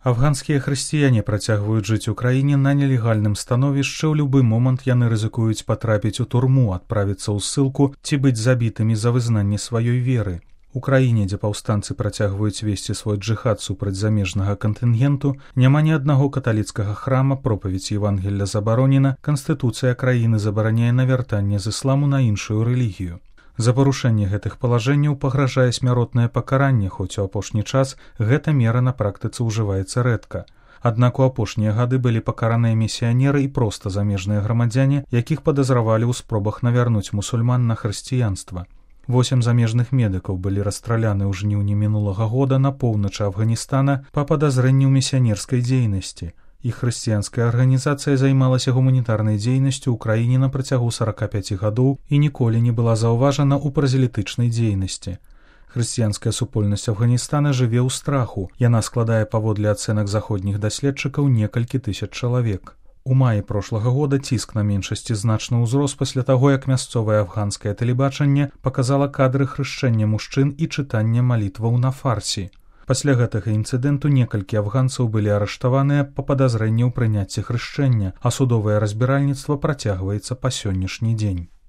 Афганскія хрысціяне працягваюць жыць у краіне на нелегальным становішчы, ў любы момант яны рызыкуюць патрапіць у турму, адправіцца ў ссылку ці быць забітымі за вызнанне сваёй веры. У краіне, дзе паўстанцы працягваюць весці свой джыхад супраць замежнага кантынгенту, няма ні аднаго каталіцкага храма, пропаведзь Евангелля забаронена, канстытуцыя краіны забараняе навяртанне з ісламу на іншую рэлігію. За парушэнне гэтых палажэнняў пагражае смяротнае пакаранне, хоць у апошні час гэта мера на практыцы ўжываецца рэдка. Аднак у апошнія гады былі пакараныя місіянеры і проста замежныя грамадзяне, якіх падазравалі ў спробах навярнуць мусульман на хрысціянства. 8 замежных медыкаў былі расстраляны ў жніўні мінулага года на поўначы Афганістана па падазрэнні ў місіянерскай дзейнасці. Іх хрысціянская арганізацыя займалася гуманітарнай дзейнасцю ў краіне на працягу 45 гадоў і ніколі не была заўважана ў празелітычнай дзейнасці. Хрысціянская супольнасць Афганістана жыве ў страху. Яна складае паводле ацэнак заходніх даследчыкаў некалькі тысяч чалавек. У маі прошлага года ціск на меншасці значна ўзрос пасля таго, як мясцовае афганскае тэлебачанне паказала кадры хрышчэння мужчын і чытання малітваў на фарсі. Пасля гэтага інцыдэнту некалькі афганцаў былі арыштаваныя па падазрэнні ў прыняцці хрышчэння, а судовае разбіральніцтва працягваецца па сённяшні дзень.